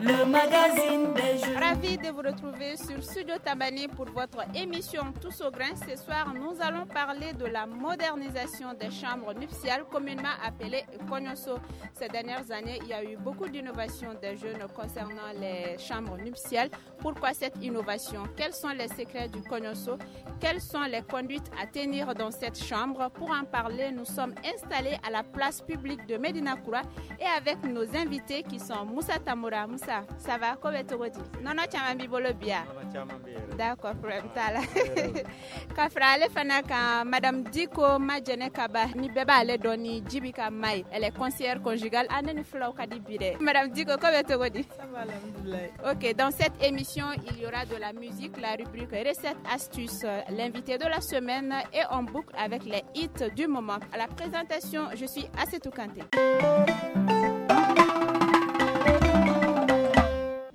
Le magazine des jeunes. Ravi de vous retrouver sur Studio Tambani pour votre émission Tous au grain. Ce soir, nous allons parler de la modernisation des chambres nuptiales, communément appelées Konyoso. Ces dernières années, il y a eu beaucoup d'innovations des jeunes concernant les chambres nuptiales. Pourquoi cette innovation? Quels sont les secrets du Konyoso? Quelles sont les conduites à tenir dans cette chambre? Pour en parler, nous sommes installés à la place publique de Medina Koura et avec nos invités qui sont Moussa Tamoura. Moussa, ça va? Ko bɛ cogo di? Nɔnɔ caman b'i bolo bi ya? D'accord, problème t'a la. Ka fara ale fana kan, Madame Diko Majɛnɛ Kaba, ni bɛɛ b'ale dɔn ni Jibi ka ma ye. Elle est conseillère conjugale. A ne ni fulaw ka di bi dɛ. Madame Diko, ko bɛ cogo di? Ça va, alhamdoulilah. Ok, dans cette émission, il y aura de la musique, la rubrique recettes, astuces, l'invité de la semaine et on boucle avec les hits du moment. À la présentation, je suis Assetou Kanté.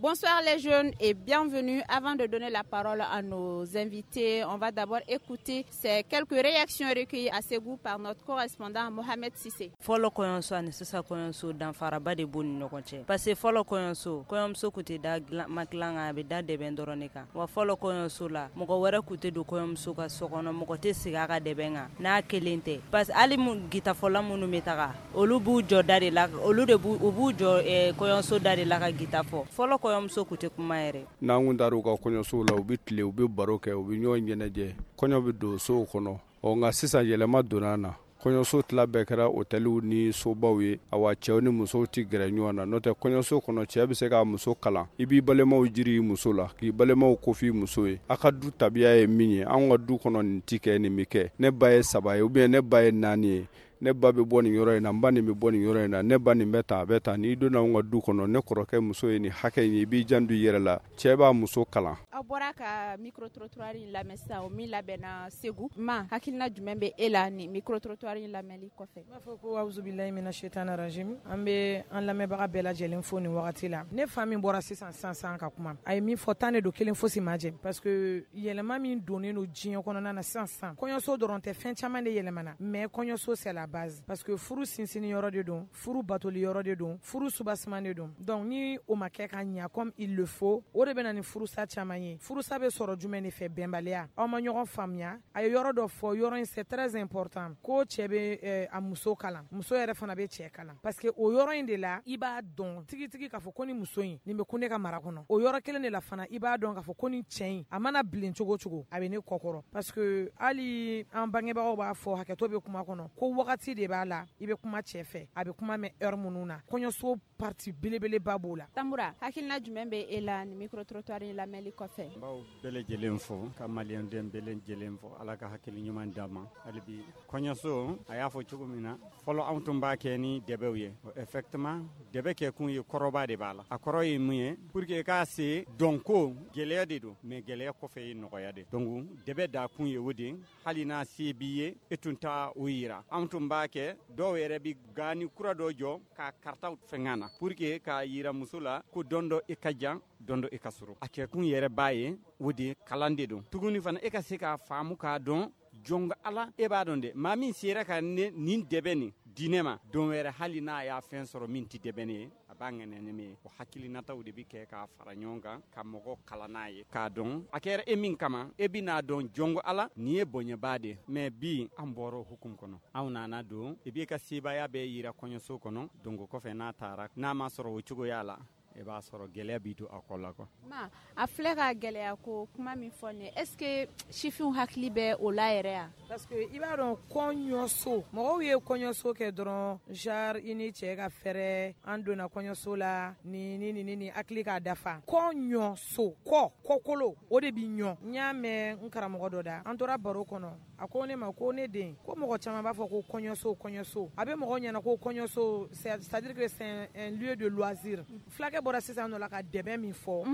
Bonsoir les jeunes et bienvenue. Avant de donner la parole à nos invités, on va d'abord écouter ces quelques réactions recueillies à Ségou par notre correspondant Mohamed Sissé. Fɔlɔ kɔɲɔso ani sisan kɔɲɔso, danfaraba de b'u ni ɲɔgɔn cɛ, parce que fɔlɔ kɔɲɔso, kɔɲɔmuso kun tɛ da matilan kan, a bɛ da dɛbɛn dɔrɔn de kan. Wa fɔlɔ kɔɲɔso la, mɔgɔ wɛrɛ kun tɛ don kɔɲɔmuso ka so kɔnɔ, mɔgɔ tɛ sigi a ka dɛbɛn kan n'a kelen tɛ, parce que hali gitafɔla minnu bɛ taga, olu b'u jɔ da de la, olu de b'u u b'u jɔ kɔɲɔso da de la ka gita fɔ. Fɔlɔ kɔɲɔmuso kun tɛ kuma yɛrɛ. N'an kun taara u ka kɔɲɔsow la, u bɛ tile, u bɛ baro kɛ, u bɛ ɲɔgɔn ɲɛnajɛ, kɔɲɔ bɛ don sow kɔnɔ. Ɔ nka sisan yɛlɛma donna na, kɔɲɔso tila bɛɛ kɛra hôteliw ni sobaw ye. Awa, cɛw ni musow tɛ gɛrɛ ɲɔgɔn na, n'o tɛ kɔɲɔso kɔnɔ, cɛ bɛ se k'a muso kalan. I b'i balimaw jiri i muso la, k'i balimaw kofi muso ye. A ka du tabiya ye min ye, anw ka du kɔnɔ, nin ti kɛ, nin bɛ kɛ. Ne ba ye saba ye ou bien ne ba ye naani ye, ne ba bɛ bɔ nin yɔrɔ in na, n ba nin bɛ bɔ nin yɔrɔ in na, ne ba nin bɛ tan, a bɛ tan. N'i donna anw ka du kɔnɔ, ne kɔrɔkɛ muso ye nin hakɛ in ye, i b'i janto i yɛrɛ la. Cɛ b'a muso kalan. Aw bɔra ka micro trottoir in lamɛn sisan, o min labɛnna Segu. Ma, hakilina jumɛn bɛ e la nin micro trottoir in lamɛnli kɔfɛ? N b'a fɔ ko awuzubilayi mina shaitani rajim. An bɛ an lamɛnbaga bɛɛ lajɛlen fo nin wagati la. Ne fa min bɔra sisan sisan sisan ka kuma, a ye min fɔ, tan de don, kelen fosi ma jɛ, parce que yɛlɛma min donnen don diɲɛ kɔnɔna na sisan sisan, kɔɲɔso dɔrɔn tɛ, fɛn caman de yɛlɛmana, mais kɔɲɔso, c'est la base, parce que furu sinsinni yɔrɔ de don, furu batoli yɔrɔ de don, furu subasiman de don. Donc ni o ma kɛ ka ɲa comme il le faut, o de bɛ na ni furusa caman ye. Furusa bɛ sɔrɔ jumɛn de fɛ? Bɛnbaliya, aw ma ɲɔgɔn faamuya. A ye yɔrɔ dɔ fɔ, yɔrɔ in, c'est très important, ko cɛ bɛ a muso kalan, muso yɛrɛ fana bɛ cɛ kalan, parce que o yɔrɔ in de la, i b'a dɔn tigitigi k'a fɔ ko ni muso in nin bɛ kun ne ka mara kɔnɔ. O yɔrɔ kelen de la fana, i b'a dɔn k'a fɔ ko ni cɛ in, a mana bilen cogo cogo, a bɛ ne kɔkɔrɔ, parce que hali an bangebagaw b'a fɔ, hakɛto bɛ kuma kɔnɔ, ko wagati de b'a la, i bɛ kuma cɛ fɛ, a bɛ kuma mɛn heure minnu na. Kɔɲɔso partie belebeleba b'o la. Tambura, hakilina jumɛn bɛ e la nin micro trottoir in lamɛnli kɔfɛ? N b'aw bɛɛ lajɛlen fo, ka maliyɛnden bɛɛ lajɛlen fo. Ala ka hakili ɲuman d'an ma hali bi. Kɔɲɔso, a y'a fɔ cogo min na, fɔlɔ anw tun b'a kɛ ni dɛbɛw ye. Effectivement, dɛbɛ kɛ kun ye, kɔrɔba de b'a la. A kɔrɔ ye mun ye? Pour que i k'a se dɔnko, gɛlɛya de don, mais gɛlɛya kɔfɛ ye nɔgɔya de. Donc dɛbɛ da kun ye o de. Hali n'a se b'i ye, e tun t'a o yira. Anw tun b'a kɛ, dɔw yɛrɛ bi gani kura dɔ jɔ k'a karitaw fɛngɛ na pour que k'a yira muso la ko don dɔ i ka jan, don dɔ i ka sɔrɔ. A kɛkun yɛrɛ b'a ye o de, kalan de don tuguni fana, e ka se k'a faamu, k'a dɔn jɔn ala. E b'a dɔn dɛ, maa min sera ka nin dɛbɛ nin di ne ma, don wɛrɛ hali n'a y'a fɛn sɔrɔ min tɛ dɛbɛ ne ye, a b'a ŋɛnɛ ni min ye. O hakilinataw de bi kɛ k'a fara ɲɔgɔn kan ka mɔgɔ kalan n'a ye, k'a dɔn a kɛra e min kama, e bɛn'a dɔn jɔnko ala nin ye bonyaba de. Mais bi an bɔra o hukumu kɔnɔ, anw nana don i b'i ka sebaya bɛɛ yira kɔɲɔso kɔnɔ. Donc kɔfɛ, n'a taara, n'a ma sɔrɔ o cogoya la, i b'a sɔrɔ gɛlɛya b'i don a kɔ la quoi. Ma, a filɛ ka gɛlɛya ko kuma min fɔ nin ye, est ce que sifinw hakili bɛ o la yɛrɛ ya? Parce que i b'a dɔn, kɔɲɔso, mɔgɔw ye kɔɲɔso kɛ dɔrɔn genre i ni cɛ ka fɛrɛ, an donna kɔɲɔso la ni ni ni ni hakili k'a dafa. Kɔɲɔso, kɔ kɔkolo, o de bi ɲɔ. N y'a mɛn n karamɔgɔ dɔ da, an tora baro kɔnɔ, a ko ne ma ko ne den, ko mɔgɔ caman b'a fɔ ko kɔɲɔso, kɔɲɔso, a bɛ mɔgɔ ɲɛna ko kɔɲɔso, c'est à dire que c'est un lieu de loisir. Fulakɛ bɔra sisan nɔ la ka dɛbɛ min fɔ,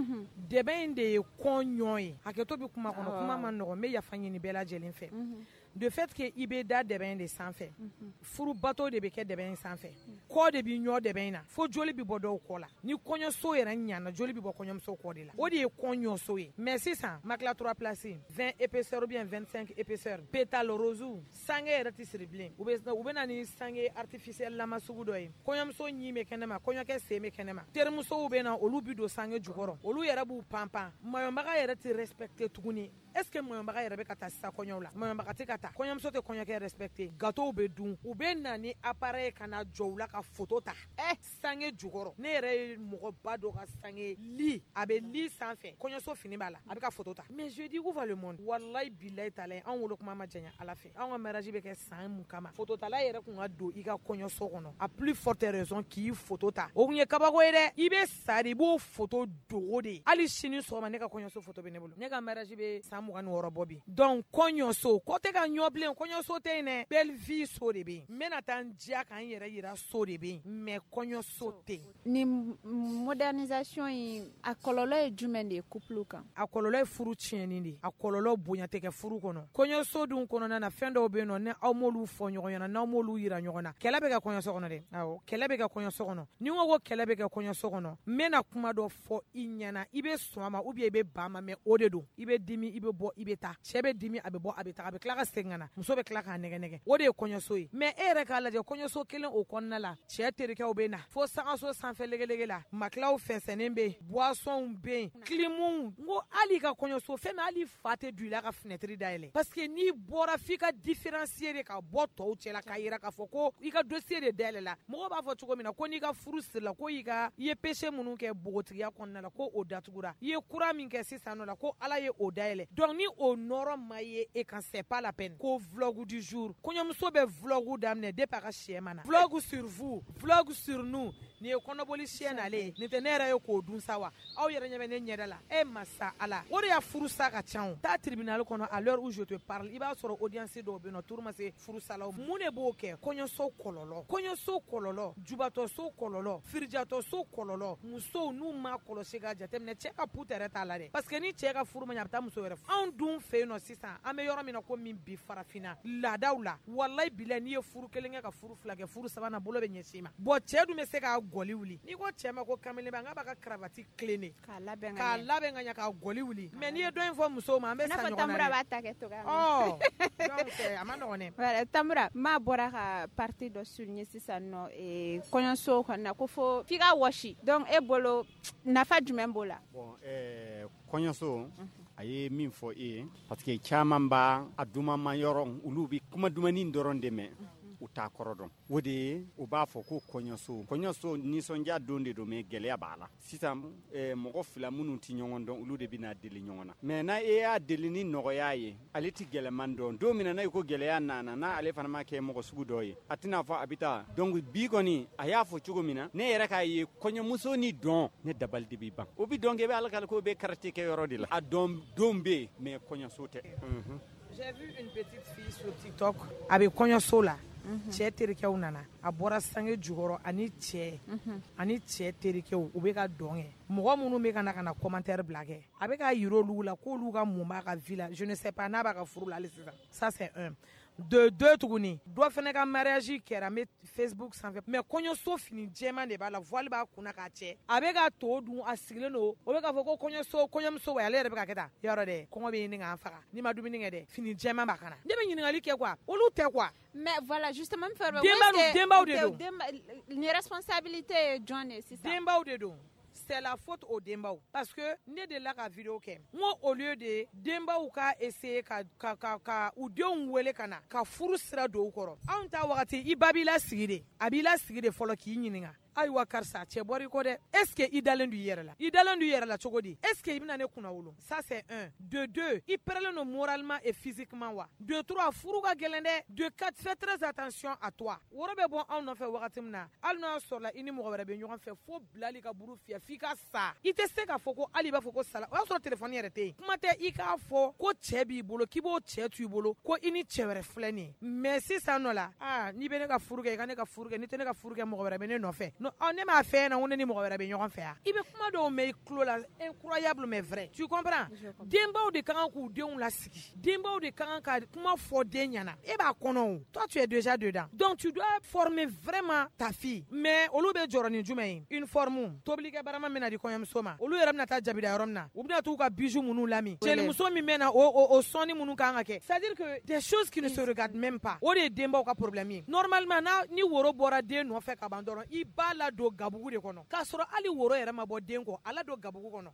dɛbɛ in de ye kɔɲɔ ye. Hakɛto bɛ kuma kɔnɔ, kuma ma nɔgɔn, n bɛ yafa ɲini bɛɛ lajɛlen fɛ. De fait que i bɛ da dɛbɛn de sanfɛ, furu bato de bɛ kɛ dɛbɛn in sanfɛ, kɔ de bɛ ɲɔ dɛbɛn in na, fo joli bɛ bɔ dɔw kɔ la. Ni kɔɲɔso yɛrɛ ɲana, joli bɛ bɔ kɔɲɔmuso kɔ de la. O de ye kɔɲɔso ye. Mais sisan, matelas 3 places, 20 épaisseur ou bien 25 épaisseur, pétale rose, sange yɛrɛ tɛ siri bilen. U bɛ na ni sange artificiel lama sugu dɔ ye. Kɔɲɔmuso ɲin bɛ kɛnɛma, kɔɲɔkɛ sen bɛ kɛnɛma. Terimusow bɛ na, olu bɛ don sange jukɔrɔ. Olu yɛrɛ b'u panpan. Maɲɔbaga yɛrɛ tɛ respecté tuguni. Est-ce que maɲɔbaga yɛrɛ bɛ ka taa sisan kɔɲɔw la? Maɲɔbaga tɛ ka taa. Kɔɲɔmuso tɛ kɔɲɔkɛ respecté. Gâteau bɛ dun. U bɛ na ni appareil ka na jɔ u la ka photo ta. Sange jukɔrɔ. Ne yɛrɛ ye mɔgɔba dɔ ka sange lit. A bɛ lit sanfɛ. Kɔɲɔso fini b'a la. A bɛ ka photo ta. Mais je dis où va le monde? Wallahi billahi taala, anw wolo kuma ma janya Ala fɛ. Anw ka mariage bɛ kɛ san mun kama? Photo tala yɛrɛ kun ka don i ka kɔɲɔso kɔnɔ. À plus forte raison k'i photo ta. O kun ye kabako ye dɛ. I bɛ sa de, i b'o photo dogo de. Hali sini sɔgɔma ne ka kɔɲɔso photo bɛ ne bolo. Ne ka mariage bɛ san 26 bɔ bi. Donc kɔɲɔso, kɔ tɛ ka ɲɔ bilen, kɔɲɔso tɛ yen dɛ. Belle vie so de bɛ yen. N bɛna taa n diya ka n yɛrɛ yira so de bɛ yen. Mais kɔɲɔso tɛ yen. Ni modernisation in, a kɔlɔlɔ ye jumɛn de ye couple kan? A kɔlɔlɔ ye furu tiɲɛni de ye. A kɔlɔlɔ bonya tɛ kɛ furu kɔnɔ. Kɔɲɔso dun kɔnɔna na, fɛn dɔw bɛ yen nɔ, ni aw m'olu fɔ ɲɔgɔn ɲɛna, n'aw m'olu yira ɲɔgɔn na, kɛlɛ bɛ kɛ kɔɲɔso kɔnɔ dɛ. Awɔ, kɛlɛ bɛ kɛ kɔɲɔso kɔnɔ. Ni n ko kɛlɛ bɛ kɛ kɔɲɔso kɔnɔ, n bɛna kuma dɔ fɔ i ɲɛna, i bɛ sɔn a ma ou bien i bɛ ban ma, mais o de don. I bɛ dimi, i bɛ bɔ, i bɛ taa. Cɛ bɛ dimi, a bɛ bɔ, a bɛ taa, a bɛ tila ka segin ka na. Muso bɛ tila k'a nɛgɛ nɛgɛ. O de ye kɔɲɔso ye. Mais e yɛrɛ k'a lajɛ, kɔɲɔso kelen o kɔnɔna la, cɛ terikɛw bɛ na fo sangaso sanfɛ legelege la, matelas fɛnsɛnnen bɛ yen, boissons bɛ yen, climuw. N ko hali i ka kɔɲɔso fɛn min, hali fa tɛ don i la ka fenêtre dayɛlɛ. Parce que n'i bɔra f'i ka différencier de ka bɔ tɔw cɛ la, k'a yira k'a fɔ ko i ka dossier de dayɛlɛ la. Mɔgɔw b'a fɔ cogo min na ko n'i ka furu sirila, ko i ye péché minnu kɛ npogotigiya kɔnɔna la, ko o datugura. I ye kura min kɛ sisan nɔ la, ko Ala ye o dayɛlɛ. Donc ni o nɔrɔ ma ye e kan, c'est pas la peine. Ko vlog du jour, kɔɲɔmuso bɛ vlog daminɛ depuis a ka sɛ ma na. Vlog sur vous, vlog sur nous. Nin ye kɔnɔboli sɛ nalen ye. Nin tɛ ne yɛrɛ ye k'o dun sa wa? Aw yɛrɛ ɲɛ bɛ ne ɲɛda la. E masa Ala, o de y'a furusa ka ca o. Taa tribunal kɔnɔ, à l'heure où je te parle, i b'a sɔrɔ audience dɔw bɛ yen nɔ, tour ma se furusalaw. Mun de b'o kɛ? Kɔɲɔso kɔlɔlɔ, kɔɲɔso kɔlɔlɔ, jubatɔso kɔlɔlɔ, firijatɔso kɔlɔlɔ. Musow n'u ma kɔlɔsi ka jateminɛ, cɛ ka pute yɛrɛ t'a la dɛ. Parce que ni cɛ ka furu ma ɲɛ, a bɛ taa muso wɛrɛ furu. Anw dun fɛ yen nɔ sisan, an bɛ yɔrɔ min na ko min bi, farafinna laadaw la, walayi bilayi, n'i ye furu kelen kɛ ka furu fila kɛ, furu sabanan bolo bɛ ɲɛsin i ma. Bon, cɛ dun bɛ se k'a gɔli wuli. N'i ko cɛ ma ko kamelenba, n k'a b'a ka cravate tilen k'a labɛn k'a labɛn ka ɲɛ k'a gɔli wuli. Mais n'i ye dɔ in fɔ musow ma, an bɛ sa ɲɔgɔn na dɛ. Tamura b'a ta kɛ cogoya min. Ɔ donc a ma nɔgɔn dɛ. Voilà, Tamura, maa bɔra ka partie dɔ souligner sisan nɔ, kɔɲɔso kɔnɔna ko fo f'i ka wɔsi. Donc e bolo nafa jumɛn b'o la? Bon, kɔɲɔso, a ye min fɔ e ye, parce que caman b'a a dumama yɔrɔ, olu bɛ kuma dumani dɔrɔn de mɛn, u t'a kɔrɔ dɔn. O de ye u b'a fɔ ko kɔɲɔso. Kɔɲɔso nisɔndiya don de don, mais gɛlɛya b'a la. Sisan mɔgɔ fila minnu tɛ ɲɔgɔn dɔn, olu de bɛna deli ɲɔgɔn na. Mais n'a e y'a deli ni nɔgɔya ye, ale tɛ gɛlɛman dɔn. Don min na n'a ko gɛlɛya nana, n'a ale fana ma kɛ mɔgɔ sugu dɔ ye, a tɛna fɔ a bɛ taa. Donc bi kɔni, a y'a fɔ cogo min na, ne yɛrɛ k'a ye kɔɲɔmuso ni dɔn, ne dabali de bɛ ban. O bɛ dɔn kɛ, i bɛ alakali ko bɛ quartier kɛ yɔrɔ de la. A dɔn don bɛ yen, mais kɔɲɔso tɛ. J'ai vu une petite fille sur TikTok. A bɛ kɔɲɔso la. Cɛ terikɛw nana, a bɔra sange jukɔrɔ, ani cɛ ani cɛ terikɛw, u bɛ ka dɔn kɛ. Mɔgɔ minnu bɛ ka na commentaire bila kɛ, a bɛ ka yira olu la k'olu ka mun b'a ka vie la. Je ne sais pas n'a b'a ka furu la hali sisan. Ça c'est un. De deux tuguni, dɔ fana ka mariage kɛra n bɛ Facebook sanfɛ, mais kɔɲɔso fini jɛman de b'a la, voile b'a kunna k'a cɛ, a bɛ ka to dun, a sigilen don, o bɛ k'a fɔ ko kɔɲɔso, kɔɲɔmuso wa, ale yɛrɛ bɛ ka kɛ tan. Yɔrɔ dɛ, kɔngɔ bɛ ɲini k'an faga n'i ma dumuni kɛ dɛ, fini jɛman b'a kana. Ne bɛ ɲininkali kɛ quoi, olu tɛ quoi. Mais voilà, justement, denbaw de don. Ni responsabilité ye jɔn de ye sisan? Denbaw de don. C'est la faute aux denbaw. Parce que ne delila ka vidéo kɛ, n ko au lieu de denbaw ka essayer ka u denw wele ka na ka furu sira don u kɔrɔ, anw ta wagati, i ba b'i lasigi de, a b'i lasigi de fɔlɔ k'i ɲininka. Ayiwa karisa, cɛ bɔra i kɔ dɛ, est ce que i dalen don i yɛrɛ la? I dalen don i yɛrɛ la cogo di? Est ce que i bɛna ne kunna wolo? Ça c'est un. De deux, i pɛrɛlen don moralement et physiquement wa? De trois, furu ka gɛlɛn dɛ. De quatre, fais très attention à toi. Woro bɛ bɔ anw nɔfɛ wagati min na, hali n'a sɔrɔla i ni mɔgɔ wɛrɛ bɛ ɲɔgɔn fɛ, fo bilali ka buru fiyɛ f'i ka sa. I tɛ se k'a fɔ ko hali i b'a fɔ ko sala, o y'a sɔrɔ téléphone yɛrɛ tɛ yen. Kuma tɛ i k'a fɔ ko cɛ b'i bolo, k'i b'o cɛ to i bolo, ko i ni cɛ wɛrɛ filɛ nin ye. Mais sisan nɔ la, aa, n'i bɛ ne ka furu kɛ, i ka ne ka furu kɛ, n'i tɛ ne ka furu kɛ, mɔgɔ wɛrɛ bɛ ne nɔfɛ. Ne m'a fɛ ɲɛna ko ne ni mɔgɔ wɛrɛ bɛ ɲɔgɔn fɛ yan. I bɛ kuma dɔw mɛn i tulo la, incroyable mais vrai, tu comprends? Denbaw de ka kan k'u denw lasigi, denbaw de ka kan ka kuma fɔ den ɲɛna. E b'a kɔnɔ o, toi tu es déjà dedans, donc tu dois former vraiment ta fille. Mais olu bɛ jɔrɔ ni jumɛn ye? Uniforme, tobilikɛ barama min na di kɔɲɔmuso ma, olu yɛrɛ bɛna taa jabida yɔrɔ min na, u bɛna t'u ka bijoux minnu lami, jelimuso min bɛ na o sɔnni minnu kan ka kɛ, c'est à dire que des choses qui ne se regardent même pas. O de ye denbaw ka problème ye. Normalement n'a ni woro bɔra den nɔfɛ ka ban dɔrɔn, i b'a ladon gabugu de kɔnɔ, k'a sɔrɔ hali woro yɛrɛ ma bɔ den kɔ, a ladon gabugu kɔnɔ.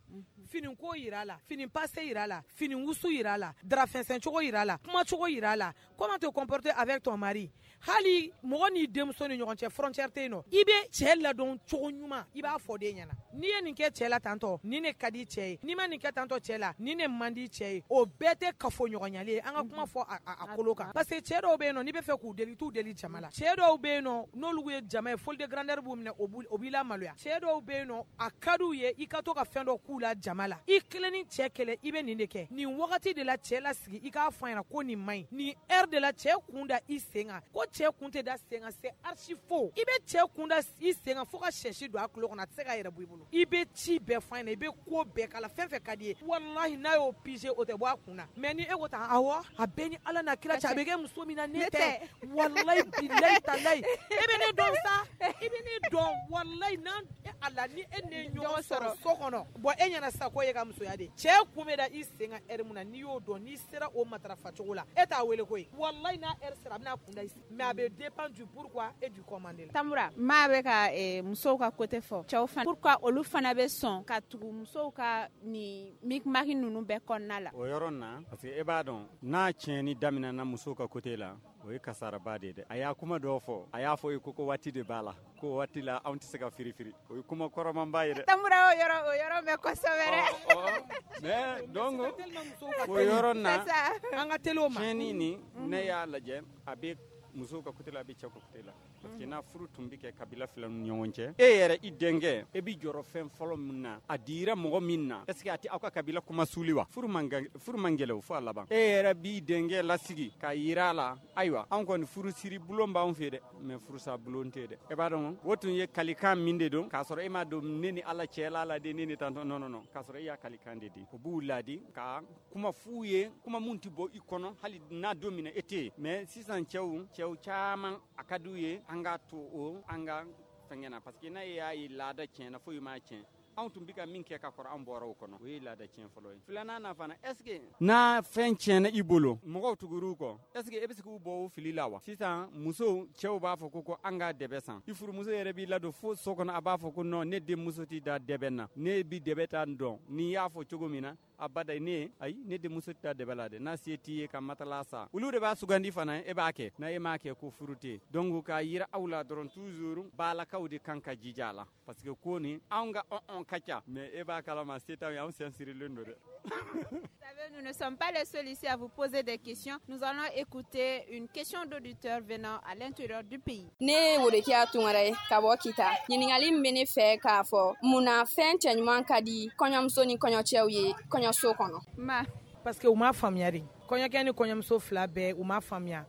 Fini ko yira la, fini passe yira la, fini wusu yira la, darafɛnsɛn cogo yira la, kumacogo yira la, comment te comporter avec ton mari. Hali mɔgɔ n'i denmuso ni ɲɔgɔn cɛ, frontière tɛ yen nɔ. I bɛ cɛ ladon cogo ɲuman, i b'a fɔ den ɲɛna, n'i ye nin kɛ cɛ la tantɔ, nin de ka di cɛ ye, n'i ma nin kɛ tantɔ cɛ la, nin de man di cɛ ye. O bɛɛ tɛ kafoɲɔgɔnyali ye. An ka kuma fɔ a kolo kan, parce que cɛ dɔw bɛ yen nɔ, n'i bɛ fɛ k'u deli, t'u deli jama la. Cɛ dɔw bɛ yen nɔ, n'olu ye jama ye, folie de grandeur b'u minɛ, o b'i la maloya. Cɛ dɔw bɛ yen nɔ, a ka d'u ye i ka to ka fɛn dɔ k'u la jama la. I kelen ni cɛ kelen, i bɛ nin de kɛ nin wagati de la. Cɛ lasigi, i k'a fɔ a ɲɛna ko nin man ɲi, nin heure de la cɛ kun da i sen kan, ko cɛ kun tɛ da sen kan, c'est archi faux. I bɛ cɛ kun da i sen kan fo ka sɛsi don a tulo kɔnɔ, a tɛ se k'a yɛrɛ bɔ i bolo. I bɛ ci bɛɛ fɔ a ɲɛna, i bɛ ko bɛɛ k'a la, fɛn fɛn ka di ye, walahi n'a y'o pigé, o tɛ bɔ a kun na. Mais ni e ko tan, awɔ, a bɛɛ ni Ala n'a kira cɛ, a bɛ kɛ muso min na, ne tɛ, walahi bilahi talahi, e bɛ ne dɔn sa, i bɛ ne dɔn, walahi n'an ala ni e ne ɲɔgɔn sɔrɔ so kɔnɔ, bɔn e ɲɛna sisan ko e ka musoya de, cɛ kun bɛ da i sen kan heure mun na, n'i y'o dɔn, n'i sera o matarafa cogo la, e t'a wele koyi, walahi n'a heure sera, a bɛna kun da i sen. Mais a bɛ dépend du pourquoi et du comment de la. Tamura maa bɛ ka musow ka côté fɔ, cɛw fana, pourquoi olu fana bɛ sɔn ka tugu musow ka nin micmac ninnu bɛɛ kɔnɔna la? O yɔrɔ na, parce que e b'a dɔn, n'a tiɲɛni daminɛna musow ka côté la, o ye kasaraba de ye dɛ. A y'a kuma dɔw fɔ, a y'a fɔ i ko waati de b'a la, ko waati la anw tɛ se ka firifiri, o ye kuma kɔrɔmanba ye dɛ. Tamura, o yɔrɔ mɛn kosɛbɛ dɛ. Mais donc o yɔrɔ na, an ka teli o ma. Tiɲɛni nin, ne y'a lajɛ, a bɛ musow ka côté la, a bɛ cɛw ka côté la, parce que n'a furu tun bɛ kɛ kabila fila ni ɲɔgɔn cɛ, e yɛrɛ i denkɛ, e bɛ jɔrɔ fɛn fɔlɔ min na, a dira mɔgɔ min na, est ce que a tɛ aw ka kabila kuma suli wa? Furu man furu man gɛlɛ o fo a laban. E yɛrɛ b'i denkɛ lasigi ka yira a la, ayiwa, anw kɔni furu siri bulon b'anw fɛ dɛ, mais furusa bulon tɛ dɛ. E b'a dɔn o tun ye kalikan min de don, k'a sɔrɔ e m'a don ne ni Ala cɛla la de, ne ni tantɔ, non non non, k'a sɔrɔ e y'a kalikan de di. O b'u ladi ka kuma f'u ye, kuma mun tɛ bɔ i kɔnɔ hali n'a don min na e tɛ yen. Mais sisan cɛw caman, a ka d'u ye an ka to o an ka fɛngɛ na, parce que n'a y'a ye laada tiɲɛna, foyi m'a tiɲɛ. Anw tun bɛ ka min kɛ ka kɔrɔ, an bɔra o kɔnɔ, o ye laada tiɲɛ fɔlɔ ye. Filanan na fana, est ce que n'a fɛn tiɲɛna i bolo, mɔgɔw tugur'u kɔ, est ce que e bɛ se k'u bɔ o fili la wa? Sisan musow, cɛw b'a fɔ ko an ka dɛbɛ san. I furumuso yɛrɛ b'i ladon fo so kɔnɔ, a b'a fɔ ko non, ne denmuso t'i da dɛbɛ na, ne bi dɛbɛ ta dɔn. N'i y'a fɔ cogo min na, abada ne ayi, ne denmuso tɛ taa dɛbɛ la dɛ, n'a se t'i ye ka matala sa, olu de b'a sugandi fana, e b'a kɛ, n'a e m'a kɛ ko furu tɛ. Donc k'a yira aw la dɔrɔn, toujours balakaw de kan ka jija a la, parce que ko nin anw ka ɔn ka ca, mais e b'a kalama se t'anw ye, anw sen sirilen don dɛ. Vous savez, nous ne sommes pas les seuls ici à vous poser des questions. Nous allons écouter une question d'auditeur venant à l'intérieur du pays. Ne ye Worekiya Tunkara ye ka bɔ Kita. Ɲininkali min bɛ ne fɛ k'a fɔ, mun na fɛn cɛɲuman ka di kɔɲɔmuso ni kɔɲɔcɛw ye kɔɲɔso kɔnɔ? Ma. Parce que u m'a faamuya de. Kɔɲɔkɛ ni kɔɲɔmuso fila bɛɛ, u m'a faamuya.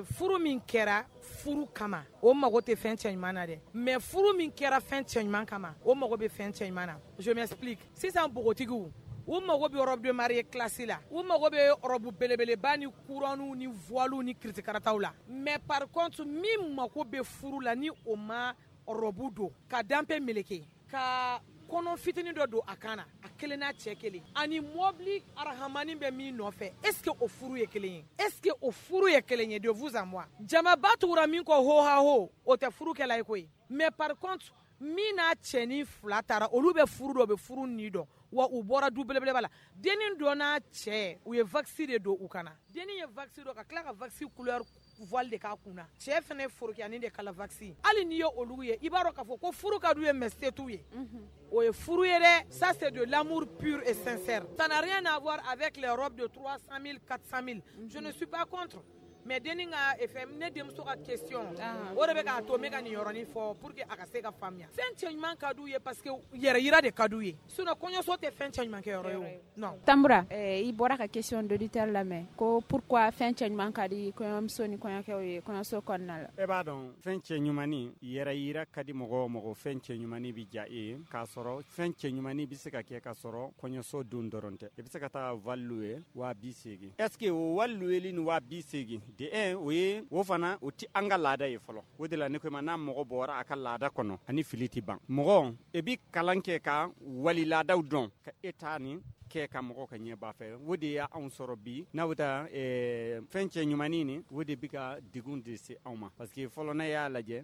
Furu min kɛra furu kama, o mago tɛ fɛn cɛɲuman na dɛ. Mais furu min kɛra fɛn cɛɲuman kama, o mago bɛ fɛn cɛɲuman na. Je m'explique. Sisan npogotigiw, u mago bɛ robe de mariée classe la, u mago bɛ robe belebeleba ni couronne ni voile ni kiritikarataw la. Mais par contre, min mago bɛ furu la, ni o ma robe don ka danpe meleke ka kɔnɔ fitinin dɔ don a kan na, a kelen n'a cɛ kelen ani mɔbili arahamani bɛ min nɔfɛ, est ce que o furu ye kelen ye? Est ce que o furu ye kelen ye, de vous à moi? Jamaba tugura min kɔ ho ha ho, o tɛ furu kɛla ye koyi. Mais par contre, min n'a cɛnin fila taara, olu bɛ furu dɔn, u bɛ furu ni dɔn wa, u bɔra du belebeleba la. Dennin dɔ n'a cɛ, u ye wax de don u kana. Dennin ye wax don ka tila ka wax couleur voile de k'a kunna. Cɛ fɛnɛ ye forokiyani de kala wax. Hali n'i ye olu ye, i b'a dɔn k'a fɔ ko furu ka d'u ye, mais se t'u ye. O ye furu ye dɛ. Ça, c'est de l'amour pur et sincère. Ça n'a rien à voir avec les robes de 300 000, 400 000. Je ne suis pas contre. Mais denni ka fɛn, ne denmuso ka question, o de bɛ k'a to n bɛ ka nin yɔrɔnin fɔ pour que a ka se ka faamuya. Fɛn cɛ ɲuman ka d'u ye parce que yɛrɛ yira de ka d'u ye, sinon kɔɲɔso tɛ fɛn cɛ ɲuman kɛ yɔrɔ ye o, non. Tambura, i bɔra ka question d'auditeur lamɛn ko pourquoi fɛn cɛ ɲuman ka di kɔɲɔmuso ni kɔɲɔkɛw ye kɔɲɔso kɔnɔna la. E b'a dɔn, fɛn cɛ ɲumanni, yɛrɛ yira ka di mɔgɔ o mɔgɔ, fɛn cɛ ɲumanni bɛ diya e ye, k'a sɔrɔ fɛn cɛ ɲumanni bɛ se ka kɛ k'a sɔrɔ kɔɲɔso don dɔrɔn tɛ. I bɛ se ka taa voile louer 80 000. Est ce que o voile louer ni 80 000 de un, o ye o fana o ti an ka laada ye fɔlɔ. O de la ne ko i ma, n'a mɔgɔ bɔra a ka laada kɔnɔ, ani fili ti ban. Mɔgɔ e bi kalan kɛ ka wali laadaw dɔn, ka e ta nin kɛ ka mɔgɔ ka ɲɛ b'a fɛ. O de y'anw sɔrɔ bi n'a bɛ taa fɛn cɛ ɲumannin nin, o de bɛ ka degun de se anw ma, parce que fɔlɔ, n'a y'a lajɛ,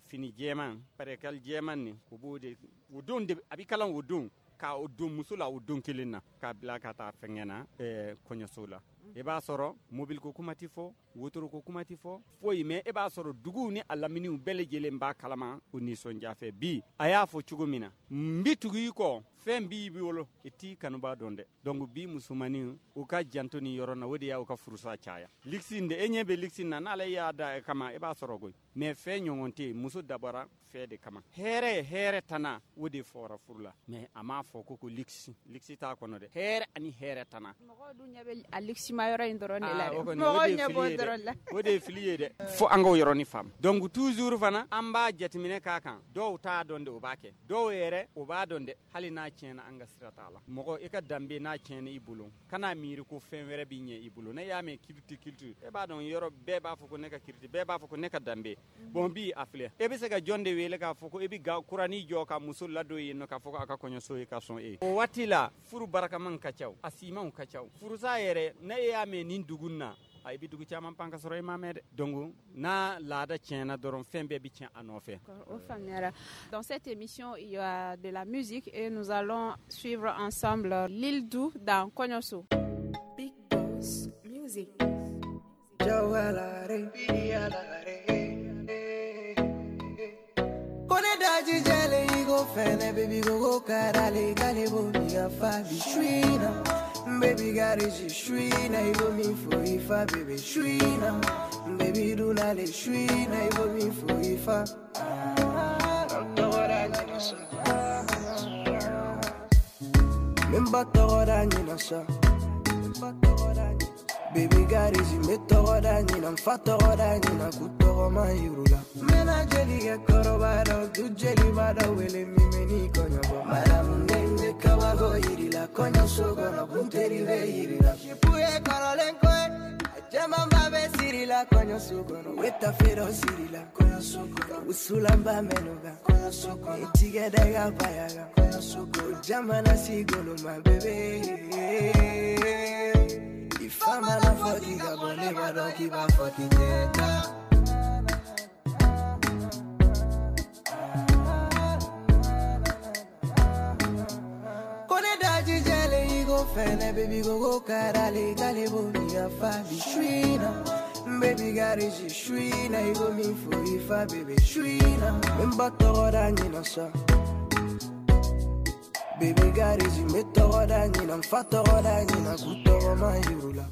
fini jɛman, percale jɛman nin, o b'o de o don de a bɛ kalan o don ka o don muso la, o don kelen na k'a bila ka taa fɛngɛ na, kɔɲɔso la. I b'a sɔrɔ mobili ko kuma tɛ fɔ, wotoro ko kuma tɛ fɔ, foyi. Mais e b'a sɔrɔ duguw ni a laminiw bɛɛ lajɛlen b'a kalama, o nisɔndiya fɛ. Bi a y'a fɔ cogo min na, n bi tugu i kɔ, fɛn b'i bolo, i t'i kanuba dɔn dɛ. Donc bi musomanin, u ka janto nin yɔrɔ na, o de y'aw ka furusa caya. Luxe de, e ɲɛ bɛ luxe na, n'ale y'a da kama, i b'a sɔrɔ koyi. Mais fɛn ɲɔgɔn tɛ yen. Muso dabɔra fɛn de kama, hɛrɛ hɛrɛ tana, o de fɔra furu la. Mais a m'a fɔ ko luxe, luxe t'a kɔnɔ dɛ. Hɛrɛ ani hɛrɛ tana. Mɔgɔw dun ɲɛ bɛ a luxe ma yɔrɔ in dɔrɔn de la dɛ. Mɔgɔw ɲɛ b'o dɔrɔn la. O de ye fili ye dɛ. Fo an k'o yɔrɔnin faamu. Donc toujours fana, an b'a jateminɛ k'a kan. Dɔw t'a dɔn de, o b'a kɛ. Dɔw yɛrɛ, o b'a dɔn dɛ. Hali n'a tiɲɛna, an ka sira t'a la. Mɔgɔ i ka danbe n'a tiɲɛna i bolo, kan'a miiri ko fɛn wɛrɛ b'i ɲɛ i bolo. Ne y'a mɛn culture, culture, e b'a dɔn, yɔrɔ bɛɛ b'a fɔ ko ne ka culture, bɛɛ b'a fɔ ko ne ka danbe. Bon, bi a filɛ, e bɛ se ka jɔn de wele k'a fɔ ko e bɛ ga kuranin jɔ ka muso ladon yen nɔ, k'a fɔ ko a ka kɔɲɔso ye ka sɔn e ye? O waati la, furu barakaman ka ca, a simanw ka ca. Furusa yɛrɛ, ne y'a mɛn nin dugu na, a i bɛ dugu caman pan ka sɔrɔ i ma mɛn dɛ. Donc n'a laada tiɲɛna dɔrɔn, fɛn bɛɛ bɛ tiɲɛ a nɔfɛ. O faamuyara. Dans cette émission, il y a de la musique et nous allons suivre ensemble L'île Dou dans Kɔɲɔso. Big Boss Music. Kone daji jele igo fene, baby go go karale kale bo mi ga fa bi shrina. Baby got it shrina igo mi fo ifa, baby shrina. Baby do na le shrina igo mi fo ifa. Memba tɔgɔ ɲina sa. Baby garisi, n bɛ tɔgɔ da ɲina, n fa tɔgɔ da ɲina, k'u tɔgɔ ma yir'u la. N bɛna jeli kɛ kɔrɔba dɔ, du jeliba dɔ wele min bɛ n'i kɔɲɔ bɔ. Madamu ne kabako yir'i la, kɔɲɔso kɔnɔ kunteri bɛ yir'i la. Sipu ye kɔrɔlen ko ye, a camanba bɛ siri la kɔɲɔso kɔnɔ. U bɛ tafe dɔ siri la kɔɲɔso kɔnɔ, wusulanba mɛn'o kan kɔɲɔso kɔnɔ, i tigɛ da i ka baya kan kɔɲɔso kɔnɔ, jamana si goloma bébé. I fa mana fɔ k'i ka bɔ, ne b'a dɔn k'i b'a fɔ k'i tɛ taa. Ko ne daji jɛlen i ko fɛnɛ, baby ko ko karale k'ale b'o mi ka fa bi shrina. Baby garisi shrina i ko min fo i fa, baby shrina. N ba tɔgɔ da ɲina sa. Baby garisi, n bɛ tɔgɔ da ɲina, n fa tɔgɔ da ɲina, k'u tɔgɔ ma yir'u la.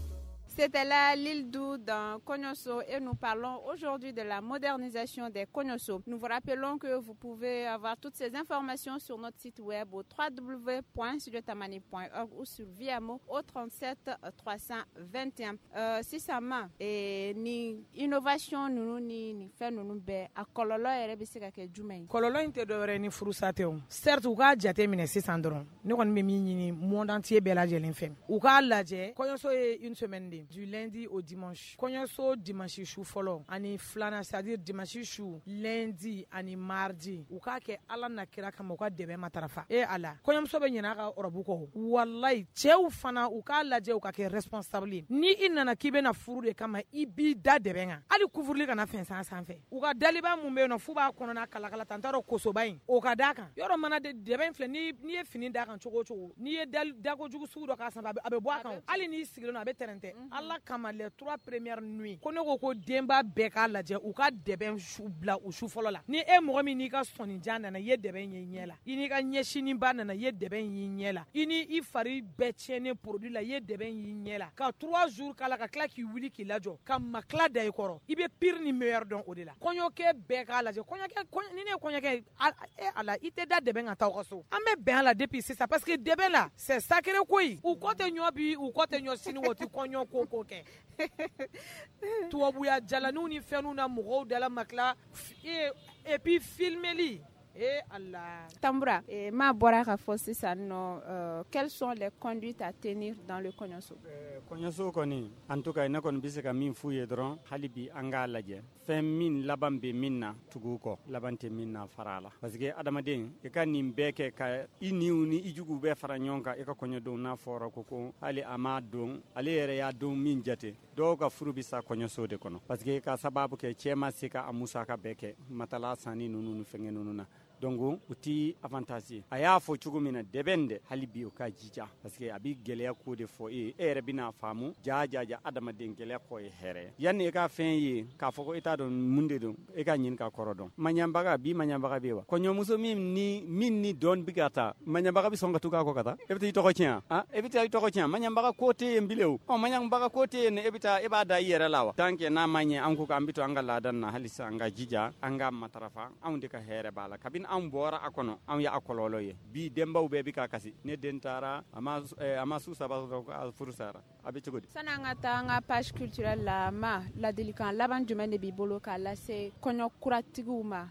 C'était là L'île Dou dans Kɔɲɔso et nous parlons aujourd'hui de la modernisation des Kɔɲɔso. Nous vous rappelons que vous pouvez avoir toutes ces informations sur notre site web au www.studiotamani.org ou sur Viamo au 37 321. Sisan ma ni innovation ninnu ni fɛn ninnu bɛɛ, a kɔlɔlɔ yɛrɛ bɛ se ka kɛ jumɛn ye? Kɔlɔlɔ in tɛ dɔwɛrɛ ye ni furusa tɛ o. Certes, u k'a jate minɛ sisan dɔrɔn, ne kɔni bɛ min ɲini monde entier bɛɛ lajɛlen fɛ, u k'a lajɛ, kɔɲɔso ye une semaine de, du lundi au dimanche. Kɔɲɔso dimanche su fɔlɔ ani filanan, c'est-à-dire dimanche su, lundi ani mardi, u k'a kɛ Ala na kira kama, u ka dɛmɛ matarafa. E Ala, kɔɲɔmuso bɛ ɲinɛ a ka robe kɔ. Walayi, cɛw fana, u k'a lajɛ, u ka kɛ responsable ye. Ni i nana k'i bɛna furu de kama, i b'i da dɛmɛ kan. kan, hali couvre-lit kana fɛnsɛn a sanfɛ. U ka daliba mun bɛ yen nɔ f'u b'a kɔnɔna kalakala tan, n t'a dɔn kosoba in o ka d'a kan. Yɔrɔ mana dɛbɛn filɛ, n'i ye fini d'a kan cogo o cogo, n'i ye dakojugu sugu dɔ k'a sanfɛ, a bɛ bɔ a kan. Hali n'i sigilen don, a bɛ tɛrɛntɛ. Ala kama, les 3 premières nuits, ko ne ko denba bɛɛ k'a lajɛ u ka dɛbɛn bila u su fɔlɔ la. Ni e mɔgɔ min n'i ka sɔnnijan nana, i ye dɛbɛn ye i ɲɛ la, i n'i ka ɲɛsininba nana, i ye dɛbɛn y'i ɲɛ la, i ni i fari bɛɛ tiɲɛnen produit la, i ye dɛbɛn y'i ɲɛ la, ka 3 jours k'a la, ka tila k'i wuli k'i lajɔ, ka makila da i kɔrɔ, i bɛ pire ni meilleur dɔn o de la. Kɔɲɔkɛ bɛɛ k'a lajɛ. Kɔɲɔkɛ, ni ne ye kɔɲɔkɛ, ala, i tɛ da dɛbɛn ka taa aw ka so. An bɛ bɛn a la depuis sisan, parce que dɛbɛn la, c'est sacré koyi. U kɔ tɛ ɲɔ bi, u kɔ tɛ ɲɔ sini, o tɛ kɔɲɔ ko kɛ. Tubabuya jalaniw ni fɛnw na mɔgɔw dala makila, et puis filmeli. Eh Allah. Tamboura, ma bɔra ka fɔ sisan nɔ, quelles sont les conduites à tenir dans le kɔɲɔso? Kɔɲɔso kɔni, en tout cas ne kɔni bɛ se ka min f'u ye dɔrɔn, hali bi an k'a lajɛ. Fɛn min laban bɛ min na, tugu kɔ, laban tɛ min na, fara a la. Parce que adamaden, i ka nin bɛɛ kɛ ka i niw ni i juguw bɛɛ fara ɲɔgɔn kan, i ka kɔɲɔdenw n'a fɔra ko hali a m'a don, ale yɛrɛ y'a don min jate. Dɔw ka furu bɛ sa kɔɲɔso de kɔnɔ. Parce que ka sababu kɛ cɛ ma se ka a musaka bɛɛ kɛ, matala sanni ninnu ni fɛngɛ ninnu na. Donc o ti avantage ye. A y'a fɔ cogo min na, dɛbɛn dɛ, hali bi o ka jija, parce que a bi gɛlɛya ko de fɔ e ye, e yɛrɛ bɛna faamu ja ja ja, adamaden gɛlɛya kɔ ye hɛrɛ ye. Yanni e ka fɛn ye k'a fɔ ko e t'a dɔn mun de don, e ka ɲini ka kɔrɔ dɔn. Maɲanbaga bi, maɲanbaga bɛ wa? Kɔɲɔmuso min ni dɔn bi ka taa, maɲanbaga bɛ sɔn ka tugu a kɔ ka taa? E bɛ taa i tɔgɔ tiɲɛ? E bɛ taa i tɔgɔ tiɲɛ? Maɲanbaga ko tɛ yen bilen o. Ɔ, maɲanbaga ko tɛ yen, e bɛ taa e b'a da i yɛrɛ la wa? Tant que n'a ma ɲɛ, an ko k'an bɛ to an ka laada na, halisa an ka jija, an ka matarafa, anw de ka hɛrɛ b'a la. Kabini anw bɔra a kɔnɔ, anw ye a kɔlɔlɔ ye. Bi denbaw bɛɛ bɛ ka kasi. Ne den taara, a ma su 3 sɔrɔ, a furu sara. A bɛ cogo di? Sani an ka taa an ka page culturelle la, ma ladilikan laban jumɛn de b'i bolo k'a lase kɔɲɔ kuratigiw ma?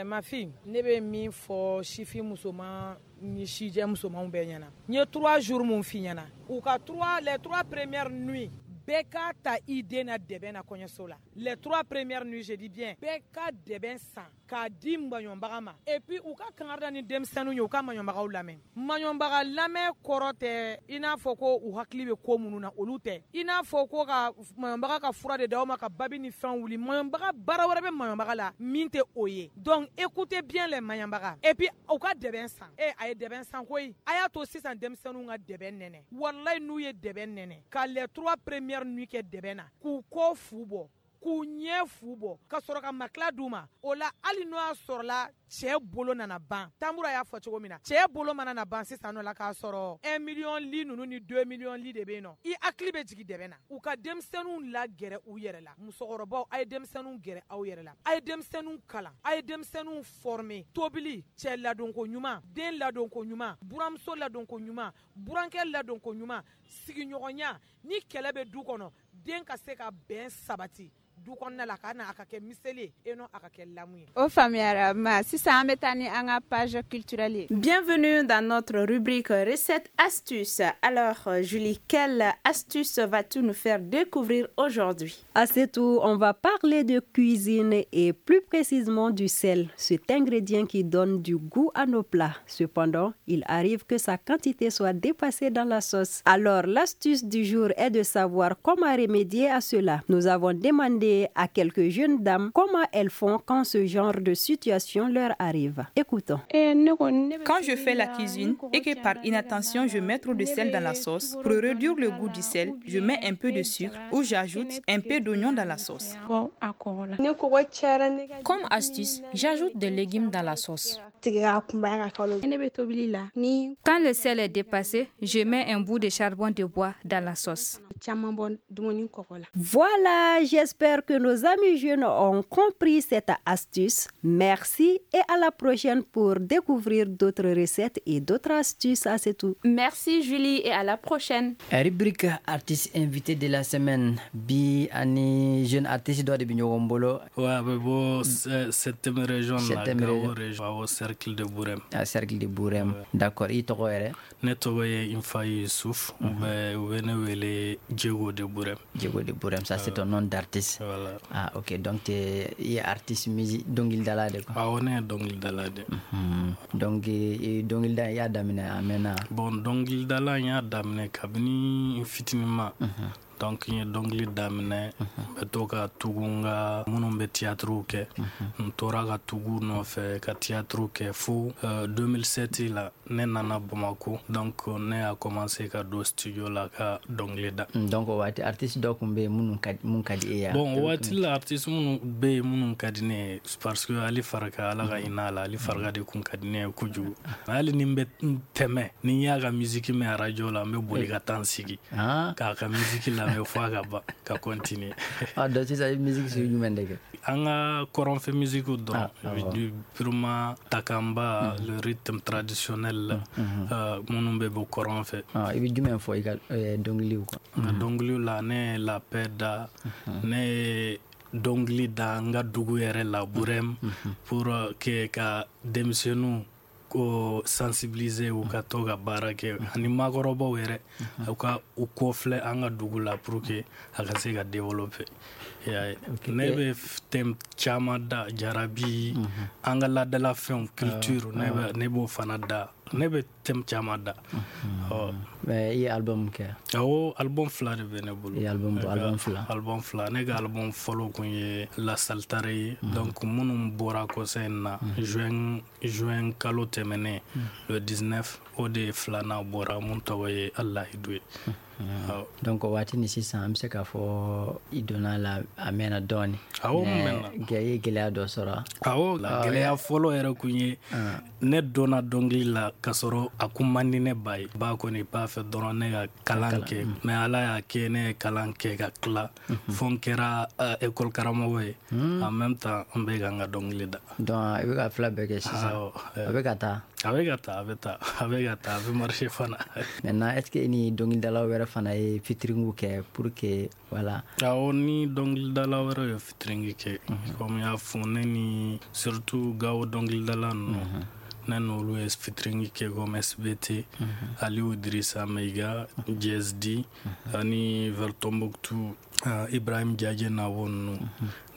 Ma fille, ne bɛ min fɔ sifin musoman ni sijɛ musomanw bɛɛ ɲɛna, n ye 3 jours mun f'i ɲɛna, u ka les 3 premières nuits, bɛɛ k'a ta i den na dɛbɛn na kɔɲɔso la. Les 3 premières nuits, je dis bien, bɛɛ ka dɛbɛn san k'a di maɲɔbaga ma. Et puis u ka kangari ni denmisɛnninw ye, u ka maɲɔbagaw lamɛn. Maɲɔbaga lamɛn kɔrɔ tɛ i n'a fɔ ko u hakili bɛ ko minnu na, olu tɛ. I n'a fɔ ko ka maɲɔbaga ka fura de d'aw ma ka babi ni fɛnw wuli. Maɲɔbaga baara wɛrɛ bɛ maɲɔbaga la min tɛ o ye. Donc écoutez bien les maɲɔbaga. Et puis u ka dɛbɛn san. A ye dɛbɛn san koyi. A y'a to sisan denmisɛnninw ka dɛbɛn nɛnɛ. Walayi, n'u ye dɛbɛn nɛnɛ ka les 3 premières nuits kɛ dɛbɛn na, k'u kɔ fu bɔ, k'u ɲɛ fu bɔ, ka sɔrɔ ka makila d'u ma. O la, hali n'o y'a sɔrɔla cɛ bolo nana ban, Tambura y'a fɔ cogo min na, cɛ bolo mana na ban sisan nɔ la, k'a sɔrɔ 1 million li ninnu ni 2 millions li de bɛ yen nɔ, i hakili bɛ jigin dɛbɛn na. U ka denmisɛnninw lagɛrɛ u yɛrɛ la. Musokɔrɔbaw, a ye denmisɛnninw gɛrɛ aw yɛrɛ la, a ye denmisɛnninw kalan, a ye denmisɛnninw former. Tobili, cɛ ladonko ɲuman, den ladonko ɲuman, buramuso ladonko ɲuman, burankɛ ladonko ɲuman, sigiɲɔgɔnya. Ni kɛlɛ bɛ du kɔnɔ, den ka se ka bɛn sabati du kɔnɔna la, ka na a ka kɛ miseli ye, et non a ka kɛ lamu ye. O faamuyara ma. Sisan an bɛ taa ni an ka page culturelle ye. Bienvenue dans notre rubrique recette astuce. Alors Julie, quelle astuce vas-tu nous faire découvrir aujourd'hui? À ce tour, on va parler de cuisine et plus précisément du sel, cet ingrédient qui donne du goût à nos plats. Cependant, il arrive que sa quantité soit dépassée dans la sauce. Alors l'astuce du jour est de savoir comment remédier à cela. Nous avons demandé à quelques jeunes dames comment elles font quand ce genre de situation leur arrive. Écoutons. Quand je fais la cuisine et que par inattention je mets trop de sel dans la sauce, pour réduire le goût du sel, je mets un peu de sucre ou j'ajoute un peu d'oignon dans la sauce. Comme astuce, j'ajoute des légumes dans la sauce. Quand le sel est dépassé, je mets un bout de charbon de bois dans la sauce. Voilà, j'espère que nos amis jeunes ont compris cette astuce. Merci et à la prochaine pour découvrir d'autres recettes et d'autres astuces. À c'est tout. Merci Julie et à la prochaine. Rubrique artiste invité de la semaine. Bi ani jeune artiste dɔ de bɛ ɲɔgɔn bolo. Ouais, a bɛ bɔ 7e région la, Gao région, au cercle de Bourem. Ah, cercle de Bourem. Ouais. D'accord, i tɔgɔ yɛrɛ? Ne tɔgɔ ye Infa Youssouf, u bɛ ne wele Diego de Bourem. Diego de Bourem, ça c'est ton nom d'artiste. Voilà. Ah, ok, donc i ye artiste musique dɔnkilidala de quoi? Awɔ, ne ye dɔnkilidala de. Donc dɔnkilida i y'a daminɛ a mɛnna? Bon, dɔnkilidala n y'a daminɛ kabini n fitininma. Donc n ye dɔnkili daminɛ, n bɛ to ka tugu n ka minnu bɛ théâtre kɛ, n tora ka tugu nɔfɛ ka théâtre kɛ fo 2007 la ne nana Bamako. Donc ne y'a commencé ka don studio la ka dɔnkili da. Donc o waati artiste dɔ tun bɛ yen minnu ka mun ka di e ye? Bon, o waati la artiste minnu bɛ yen minnu ka di ne ye, parce que Ali Farka, Ala ka hinɛ a la, Ali Farka de kun ka di ne ye kojugu. Hali ni n bɛ tɛmɛ, ni n y'a ka musique mɛn radio la, n bɛ boli ka taa n sigi k'a ka musique lamɛn fo a ka ban ka continuer. Ah, donc sisan i bɛ musique sugu jumɛn de kɛ? An ka kɔrɔnfɛ musique dɔrɔn, purement takamba, le rythme traditionnel minnu bɛ bɔ kɔrɔn fɛ. I bɛ jumɛn fɔ i ka dɔnkiliw kan? N ka dɔnkiliw la, ne ye la paix da, ne ye dɔnkili da n ka dugu yɛrɛ la, Burem, pour que ka denmisɛnninw ko sensibiliser u ka to ka baara kɛ, ani maakɔrɔbaw yɛrɛ u ka u kɔfilɛ an ka dugu la pour que a ka se ka développer. Ne bɛ thème caman da, jarabi, an ka laadalafɛnw, culture, ne b'o fana da, ne bɛ thème caman da. Mais i ye album kɛ? Awɔ, album 2 de bɛ ne bolo. I ye album bɔ, album 2? Album 2. Ne ka album fɔlɔ kun ye La Saltare ye. Donc minnu bɔra kɔsa in na, juin kalo tɛmɛnen, le 19, o de filanan bɔra mun tɔgɔ ye Alahidu ye. Donc o waati ni sisan an bɛ se k'a fɔ i donna la a mɛnna dɔɔni. Awɔ, n mɛnna. I ye gɛlɛya dɔ sɔrɔ? Awɔ, gɛlɛya fɔlɔ yɛrɛ kun ye ne donna dɔnkili la k'a sɔrɔ a kun man di ne ba ye. Ba kɔni b'a fɛ dɔrɔn ne ka kalan kɛ, mais Ala y'a kɛ ne ye kalan kɛ ka tila fo n kɛra école karamɔgɔ ye. En même temps n bɛ ka n ka dɔnkili da. Donc i bɛ ka fila bɛɛ kɛ sisan? A bɛ ka taa? A bɛ ka taa, a bɛ taa, a bɛ ka taa, a bɛ marcher fana. Maintenant est-ce que i ni dɔnkilidala wɛrɛ fana ye featuring kɛ pour que voilà? Awɔ, ni dɔnkilidala wɛrɛ ye featuring kɛ, comme n y'a fɔ, ne ni surtout Gawo dɔnkilidala ninnu, ne n'olu ye featuring kɛ comme SBT, Aliou Idrissa Meiga, JSD, ani vers Tombouctou, Ibrahim Diadje Nabo ninnu,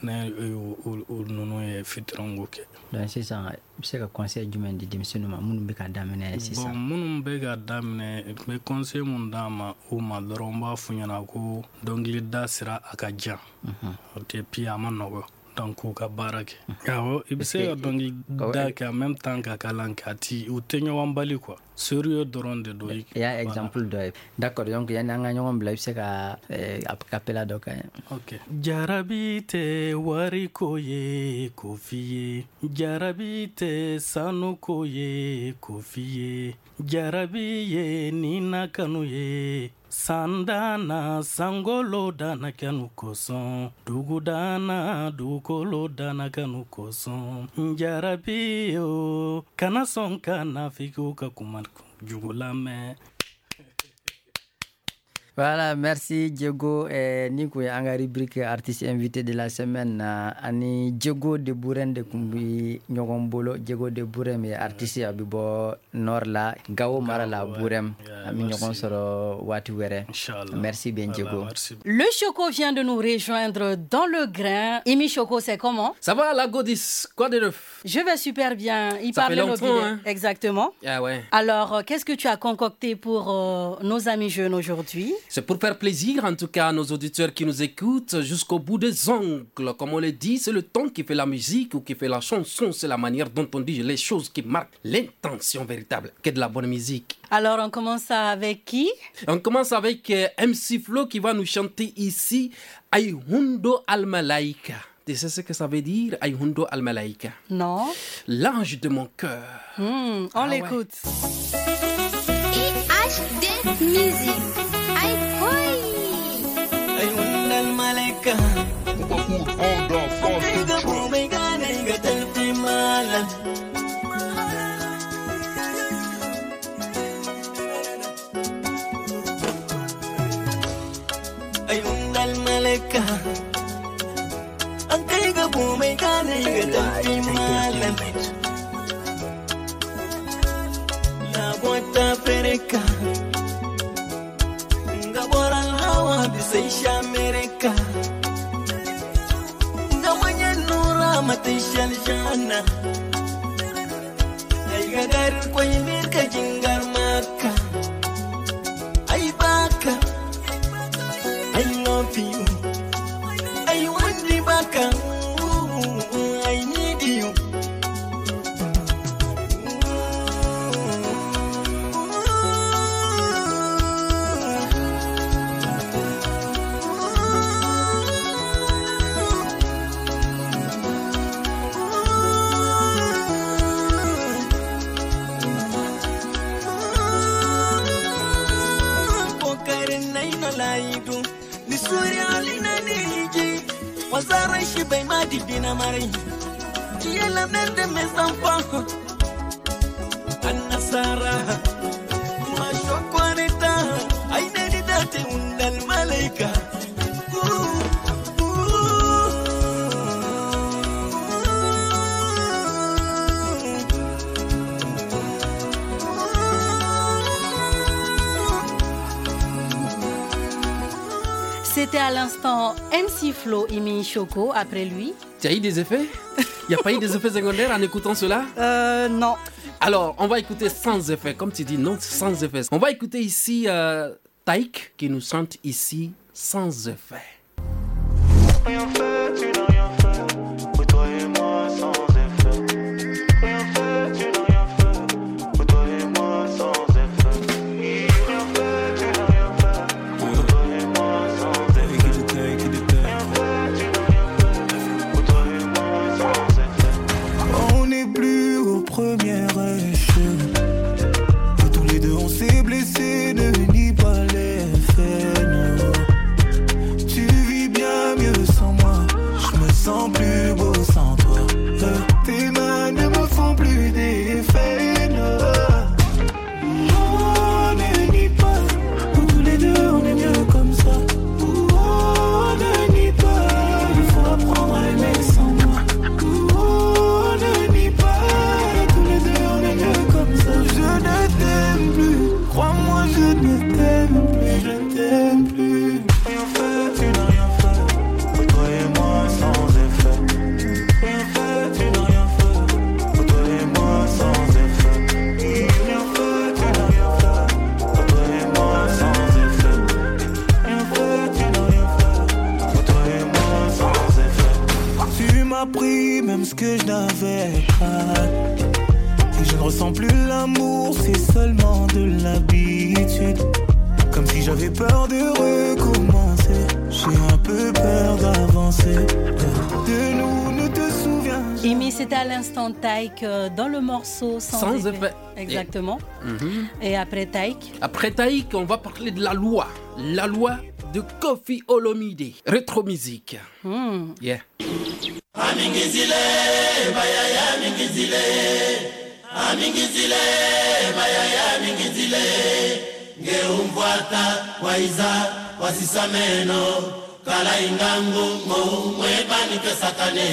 ne ninnu ye featuring kɛ. Donc sisan i bɛ se ka conseil jumɛn di denmisɛnninw ma minnu bɛ ka daminɛ sisan? Bon, minnu bɛ ka daminɛ, n bɛ conseil mun d'a ma u ma dɔrɔn, n b'a f'u ɲɛna ko dɔnkilida sira a ka jan, et puis a ma nɔgɔ. Donc u ka baara kɛ. Awɔ, i bɛ se ka dɔnkili da kɛ en même temps ka kalan kɛ, a ti u tɛ ɲɔgɔn bali quoi, sérieux dɔrɔn de don. I y'a exemple dɔ ye. D'accord, donc yanni an ka ɲɔgɔn bila, i bɛ se ka a cappella dɔ kɛ? Ok. Jarabi tɛ wariko ye k'o f'i ye, jarabi tɛ sanuko ye k'o f'i ye, jarabi ye nina kanu ye. Sandana sangolo dana kanu kosɔn, dugu dana dugukolo dana kanu kosɔn, jarabi o kana sɔn ka nafigiw ka kuma jugu lamɛn. Voilà, merci Diego. Ni kun ye an ka rubrique artiste invité de la semaine na, ani Diego de Bourem de kun bi ɲɔgɔn bolo. Diego de Bourem ye artiste, a bɛ bɔ nord la, Gao mara la, Bourem. An bɛ ɲɔgɔn sɔrɔ waati wɛrɛ. Merci bien Diego. Le Choco vient de nous rejoindre dans le grain. Imi Choco, c'est comment? Ça va la Godis, quoi de neuf? Je vais super bien. Il Ça parlait fait longtemps, hein? Exactement. Ah ouais. Alors, qu'est-ce que tu as concocté pour nos amis jeunes aujourd'hui? C'est pour faire plaisir en tout cas à nos auditeurs qui nous écoutent jusqu'au bout des ongles. Comme on le dit, c'est le ton qui fait la musique ou qui fait la chanson. C'est la manière dont on dit les choses qui marquent l'intention véritable. Que de la bonne musique. Alors on commence avec qui? On commence avec MC Flo qui va nous chanter ici Ayhundo Al-Malaika. Tu sais ce que ça veut dire, Ayhundo Al-Malaika? Non. L'ange de mon cœur. On l'écoute. IHD Music. Malaika America. Jana ay gagar koy mirka jingar maka ay baka ay Shiba Divina Marie. Tu es la mère de mes enfants. Anna Sarah, ma chocolata, aïna date undal malaika. C'était à l'instant MC Flo Imi Choco, après lui. Tu as eu des effets? Il n'y a pas eu des effets secondaires en écoutant cela? Non. Alors, on va écouter sans effet. Comme tu dis, non, sans effet. On va écouter ici Taïk qui nous chante ici sans effet. Rien fait, tu n'as rien fait. Pour toi et moi sans effet. Rien fait, tu n'as rien fait. Pour toi et moi sans effet. Rien fait, tu n'as rien fait. Pour toi et moi sans effet. Rien fait, tu n'as rien fait. Pour toi et moi sans effet. On n'est plus au premier échec. Tous les deux on s'est blessés, ne nie pas les faits. Non. Tu vis bien mieux sans moi. Je me sens plus beau sans toi. Tes mains ne me font plus d'effet. Non. On ne nie pas. Nous tous les deux on est mieux comme ça. On ne nie pas. Il faut apprendre à aimer sans moi. On ne nie pas. Tous les deux on est mieux comme ça. Je ne t'aime plus. Crois-moi, je ne t'aime plus. Je ne t'aime plus. Rien fait, tu n'as rien fait. Pour toi et moi sans effet. Rien fait, tu n'as rien fait. Pour toi et moi sans effet. Rien fait, tu n'as rien fait. Pour toi et moi sans effet. Rien fait, tu n'as rien fait. Pour toi et moi sans effet. Tu m'as pris même ce que je n'avais pas. Et je ne ressens plus l'amour, c'est seulement de l'habitude. Comme si j'avais peur de recommencer. J'ai un peu peur d'avancer. De nous, ne te souviens. Imi, c'était à l'instant Taïk dans le morceau Sans effet. Exactement. Et après Taïk? Après Taïk, on va parler de la loi. La loi de Koffi Olomide. Rétro musique. Yeah. Amingizile, bayaya mingizile. Amingizile, bayaya mingizile. Ngeumfuata waiza wasisameno kala ingangu mwebanike sakane.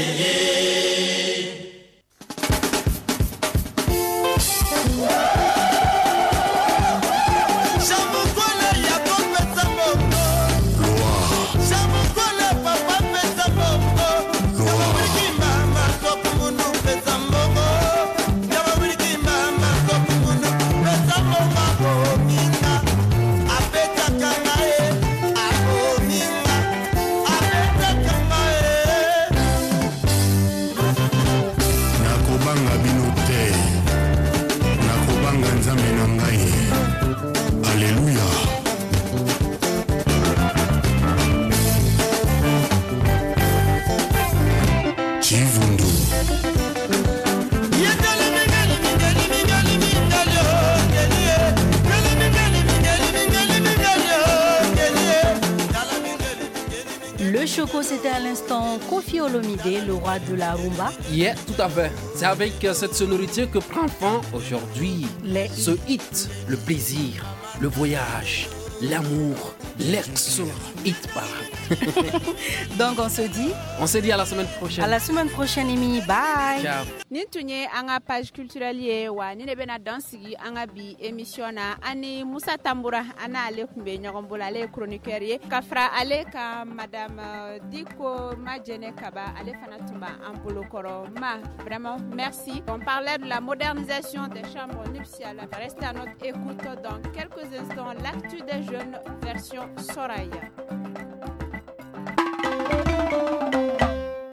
Le Choco, c'était à l'instant Koffi Olomide, le roi de la rumba. Yeah, tout à fait. C'est avec cette sonorité que prend fin aujourd'hui ce hit, le plaisir, le voyage, l'amour, l'excellent hit parade. Donc on se dit... On se dit à la semaine prochaine. À la semaine prochaine, Imi. Bye. Ciao. Nin tun ye an ka page culturelle ye wa ni de bɛna dan sigi an ka bi émission na. Ani Musa Tambura an n'ale tun bɛ ɲɔgɔn bolo, ale ye chroniqueur ye. Ka fara ale ka Madame Diko Majene Kaba, ale fana tun b'an bolo kɔrɔ. Ma, vraiment merci. On parlait de la modernisation des chambres nuptiales. Restez à notre écoute dans quelques instants. L'actu des jeunes version Soraya.